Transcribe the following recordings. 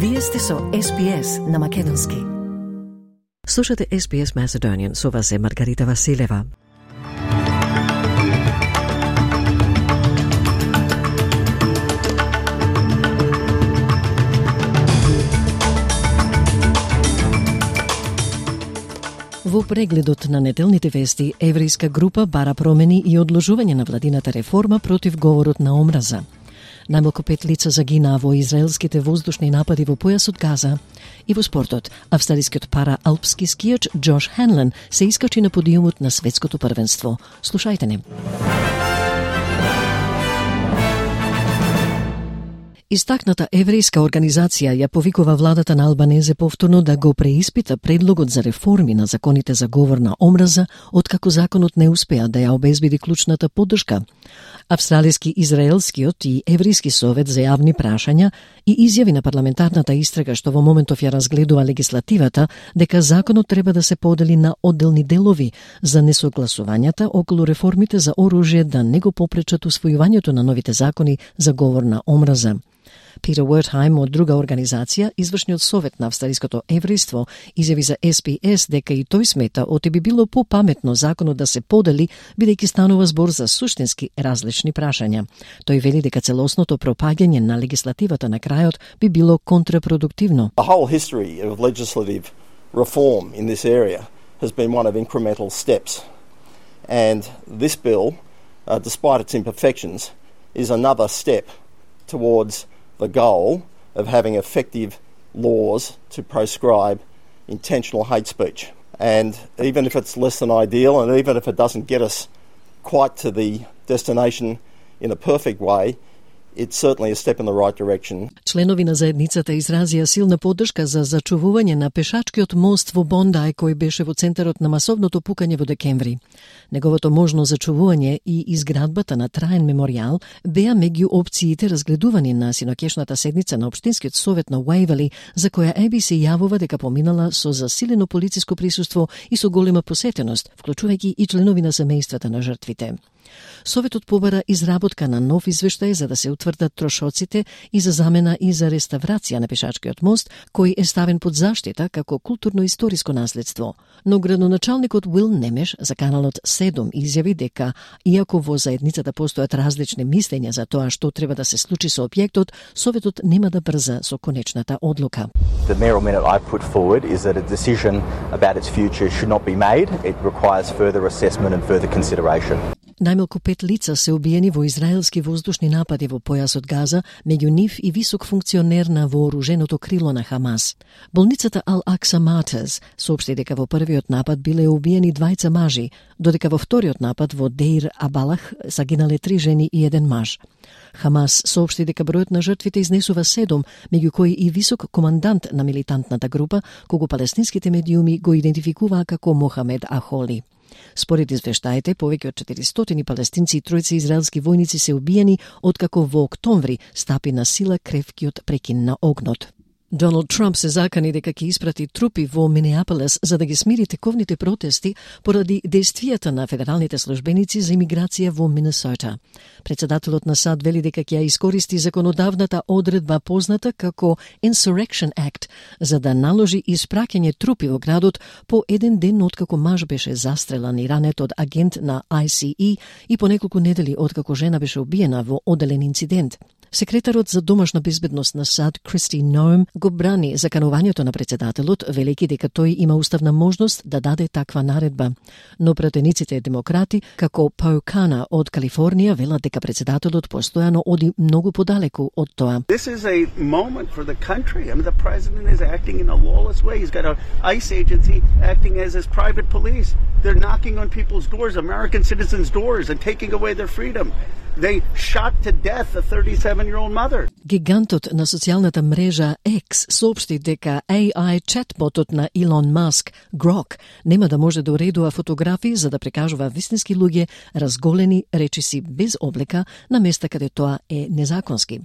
Вие сте со SPS на македонски. Слушате SPS Macedonian, со вас е Маргарита Василева. Во прегледот на неделните вести, еврејска група бара промени и одложување на владината реформа против говорот на омраза. Најмалку 5 лица загинаа во израелските воздушни напади во појасот Газа. И во спортот, австралискиот пара-алпски скијач Джош Хенлен се искачи на подиумот на светското првенство. Слушајте не. Истакната еврејска организација ја повикува владата на Албанезе повторно да го преиспита предлогот за реформи на законите за говор на омраза, откако законот не успеа да ја обезбеди клучната поддршка. Австралиски, израелскиот и еврејски совет за јавни прашања и изјави на парламентарната истрага што во моментов ја разгледува легислативата дека законот треба да се подели на одделни делови за несогласувањата околу реформите за оружје да не го попречат усвојувањето на новите закони за говор на омраза. Питер Уертхајм од друга организација, извршниот совет на австралиското еврејство, изјави за SPS дека и тој смета оти би било попаметно законот да се подели, бидејќи станува збор за суштински различни прашања. Тој вели дека целосното пропаѓање на легислативата на крајот би било контрапродуктивно. The whole history of legislative reform in this area has been one of incremental steps. And this bill, despite its imperfections, is another step towards the goal of having effective laws to proscribe intentional hate speech. And even if it's less than ideal, and even if it doesn't get us quite to the destination in a perfect way, it's certainly a step in the right direction. Членови на заедницата изразија силна поддршка за зачувување на пешачкиот мост во Бондај кој беше во центарот на масовното пукање во декември. Неговото можно зачувување и изградбата на траен меморијал беа меѓу опциите разгледувани на синокешната седница на Општинскиот совет на Уајвали, за која ABC јавува дека поминала со засилено полициско присуство и со голема посетеност, вклучувајќи и членови на семејствата на жртвите. Советот побара изработка на нов извештај за да се утврдат трошоците и за замена и за реставрација на пешачкиот мост, кој е ставен под заштита како културно-историско наследство. Но градоначалникот Уил Немеш за каналот 7 изјави дека, иако во заедницата постојат различни мислења за тоа што треба да се случи со објектот, Советот нема да брза со конечната одлука. The mayoral minute I put forward is that a decision about its future should not be made. It requires further assessment and further consideration. Најмалку 5 лица се убиени во израелски воздушни напади во појасот Газа, меѓу нив и висок функционер на вооруженото крило на Хамас. Болницата Ал-Акса Матес соопшти дека во првиот напад биле убиени 2 мажи, додека во вториот напад во Деир Абалах загинале 3 жени и 1 маж. Хамас соопшти дека бројот на жртвите изнесува 7, меѓу кои и висок командант на милитантната група, кого палестинските медиуми го идентификуваа како Мохамед Ахоли. Според извештаите, повеќе од 400 палестинци и 3 израелски војници се убиени, откако во октомври стапи на сила кревкиот прекин на огнот. Доналд Трамп се закани дека ќе испрати трупи во Минеаполис за да ги смири тековните протести поради действијата на федералните службеници за имиграција во Минесота. Председателот на САД вели дека ќе ја искористи законодавната одредба позната како Insurrection Act за да наложи испраќање трупи во градот по еден ден откако маж беше застрелан и ранет од агент на ICE и по неколку недели откако жена беше убиена во одделен инцидент. Секретарот за домашна безбедност на САД Кристи Ноем го брани заканувањето на председателот, велејќи дека тој има уставна можност да даде таква наредба. Но пратениците демократи, како Пау Кана од Калифорнија, велат дека председателот постојано оди многу подалеку од тоа. This is a moment for the country. I mean, the president is acting in a lawless way. He's got an ICE agency acting as his private police. They're knocking on people's doors, American citizens' doors, and taking away their freedom. They shot to death a 37-year-old mother. Гигантот на социјалната мрежа X соопшти дека AI чатботот на Илон Маск, Grok, нема да може да уредува фотографии за да прикажува вистински луѓе разголени речиси без облека на места каде тоа е незаконски.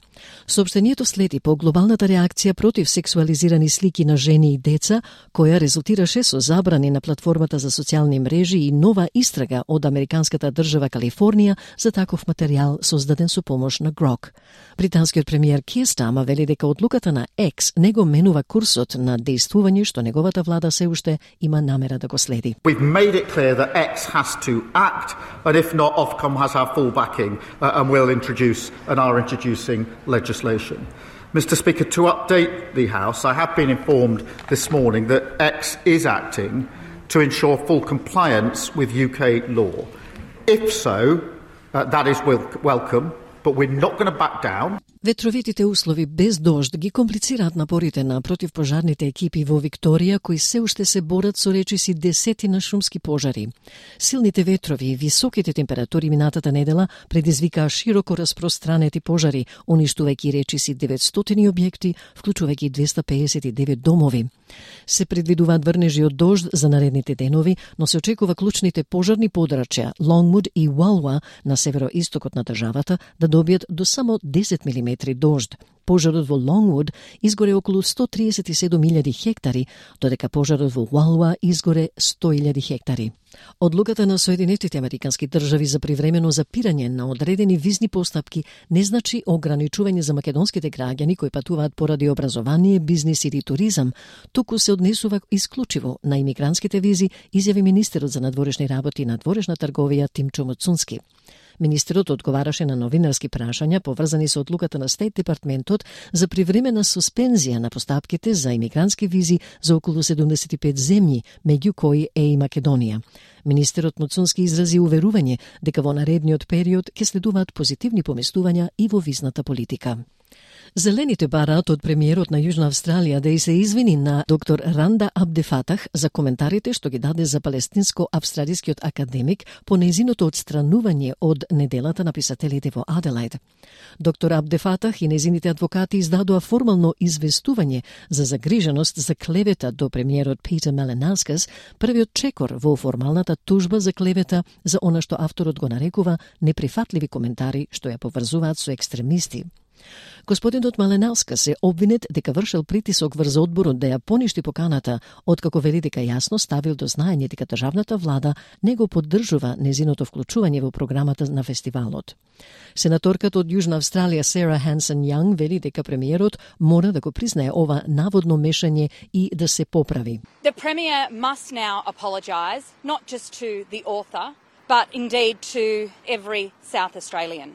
Соопштението следи по глобалната реакција против сексуализирани слики на жени и деца, која резултираше со забрани на платформата за социјални мрежи и нова истрага од американската држава Калифорнија за таков материјал материјал создаден со помош на Grok. Британскиот премиер Keir Starmer вели дека одлуката на X не го менува курсот на дејствување што неговата влада се уште има намера да го следи. We've made it clear that X has to act, and if not, Ofcom has our full backing and will introduce and are introducing legislation. Mr. Speaker, to update the House, I have been informed this morning that X is acting to ensure full compliance with UK law. If so, that is welcome, but we're not going to back down. Ветровитите услови без дожд ги комплицираат напорите на противпожарните екипи во Викторија, кои се уште се борат со речиси десетина шумски пожари. Силните ветрови и високите температури минатата недела предизвикаа широко распространети пожари, уништувајќи речиси 900 објекти, вклучувајќи 259 домови. Се предвидуваат врнежи од дожд за наредните денови, но се очекува клучните пожарни подрачја Longwood и Walwa на североистокот на државата да добијат до само 10 мм дожд. Пожарот во Longwood изгоре околу 137.000 хектари, додека пожарот во Walwa изгоре 100.000 хектари. Одлуката на Соединетите Американски држави за привремено запирање на одредени визни постапки не значи ограничување за македонските граѓани кои патуваат поради образование, бизнис или туризам, туку се однесува исклучиво на имигрантските визи, изјави министерот за надворешни работи и надворешна трговија Тимчо Мацунски. Министерот одговараше на новинарски прашања поврзани со одлуката на Стейт департментот за привремена суспензија на постапките за имигрантски визи за околу 75 земји, меѓу кои е и Македонија. Министерот Мацунски изрази уверување дека во наредниот период ќе следуваат позитивни поместувања и во визната политика. Зелените бараат од премиерот на Јужна Австралија да и се извини на доктор Ранда Абдефатах за коментарите што ги даде за палестинско-австралискиот академик по нејзиното отстранување од неделата на писателите во Аделајд. Доктор Абдефатах и нејзините адвокати издадоа формално известување за загриженост за клевета до премиерот Питер Малинаускас, првиот чекор во формалната тужба за клевета за она што авторот го нарекува неприфатливи коментари што ја поврзуваат со екстремисти. Господинот Малинаускас се обвинет дека вршел притисок врз одборот да ја поништи поканата, откако вели дека јасно ставил до знаење дека државната влада не го поддржува незиното вклучување во програмата на фестивалот. Сенаторката од Јужна Австралија Сара Хансен Јанг вели дека премиерот мора да го признае ова наводно мешање и да се поправи. The Premier must now apologise not just to the author, but indeed to every South Australian.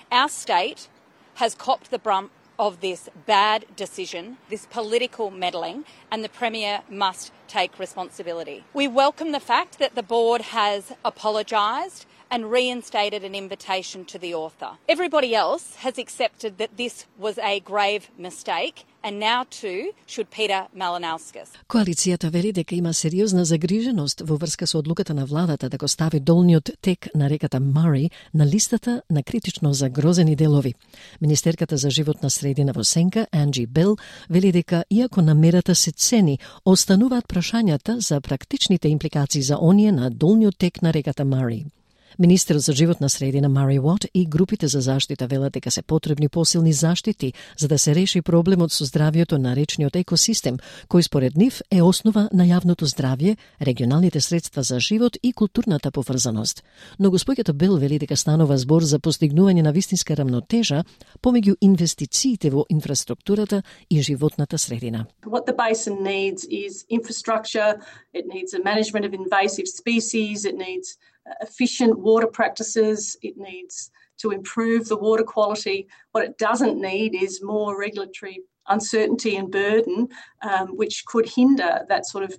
Our state has copped the brunt of this bad decision, this political meddling, and the Premier must take responsibility. We welcome the fact that the board has apologised and reinstated an invitation to the author. Everybody else has accepted that this was a grave mistake, and now too should Peter Malinauskas. Коалицијата вели дека има сериозна загриженост во врска со одлуката на владата да го стави долниот тек на реката Мари на листата на критично загрозени делови. Министерката за животна средина во Сенка, Анджи Бел, вели дека иако намерата се цени, остануваат прашањата за практичните импликации за оние на долниот тек на реката Мари. Министерот за животна средина Мари Уот и групите за заштита велат дека се потребни посилни заштити за да се реши проблемот со здравјето на речниот екосистем, кој според нив е основа на јавното здравје, регионалните средства за живот и културната поврзаност. Но господјата Бел вели дека станува збор за постигнување на вистинска рамнотежа помеѓу инвестициите во инфраструктурата и животната средина. What the basin needs is infrastructure, it needs a management of invasive species, it needs efficient water practices, it needs to improve the water quality. What it doesn't need is more regulatory uncertainty and burden, which could hinder that sort of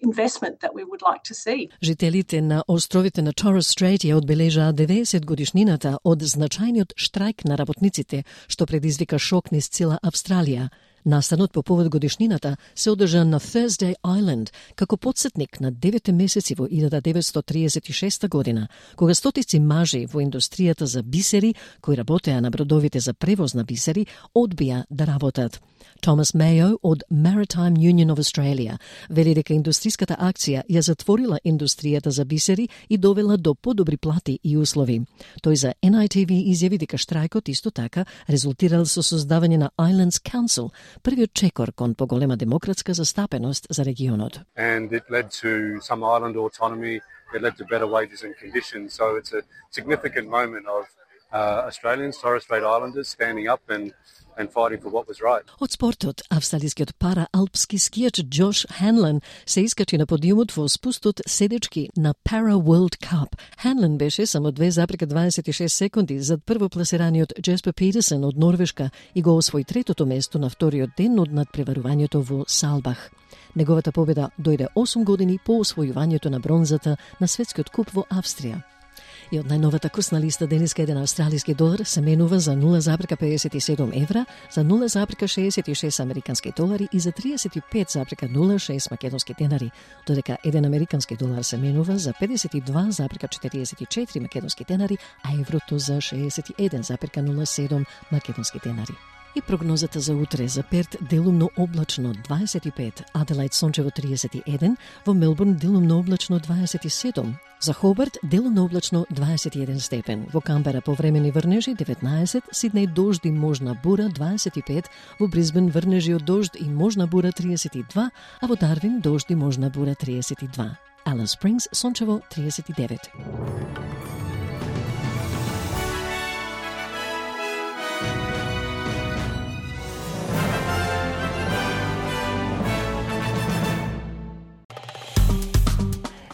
investment that we would like to see. Жителите на островите на Torres Strait ја одбележаа 90 годишнината од значајниот штрајк на работниците, што предизвика шок низ цела Австралија. Настанот по повод годишнината се одржа на Thursday Island како потсетник на 9 месеци во 1936 година, кога стотици мажи во индустријата за бисери, кои работеа на бродовите за превоз на бисери, одбија да работат. Томас Мејо од Maritime Union of Australia вели дека индустриската акција ја затворила индустријата за бисери и довела до подобри плати и услови. Тој за NITV изјави дека штрајкот исто така резултирал со создавање на Islands Council, првиот чекор кон поголема демократска застапеност за регионот. And it led to some island autonomy, it led to better wages and conditions, so it's a significant moment of Australians, Torres Strait Islanders, standing up and fighting for what was right. Од спортот, австралискиот параалпски скијач Джош Ханлен се искачи на подиумот во спустот седечки на Para World Cup. Ханлен беше само 2,26 секунди зад првопласираниот Jesper Petersen од Норвешка и го освои третото место на вториот ден од надпреварувањето во Салбах. Неговата победа дојде 8 години по освојувањето на бронзата на светскиот куп во Австрија. И од најновата курсна листа денеска еден австралиски долар се менува за 0,57 евра, за 0,66 американски долари и за 35,06 македонски денари, додека еден американски долар се менува за 52,44 македонски денари, а еврото за 61,07 македонски денари. И прогнозата за утре: за Перт делумно облачно 25, Аделаид сончево 31, во Мелбурн делумно облачно 27, за Хобарт делумно облачно 21 степен, во Камбера повремени врнежи 19, Сиднеј дожд и можна бура 25, во Брисбен врнежи од дожд и можна бура 32, а во Дарвин дожд и можна бура 32. Алис Спрингс сончево 39.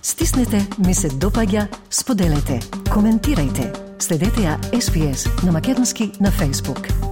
Стиснете, ми се допаѓа, споделете, коментирајте. Следете ја SPS на македонски на Facebook.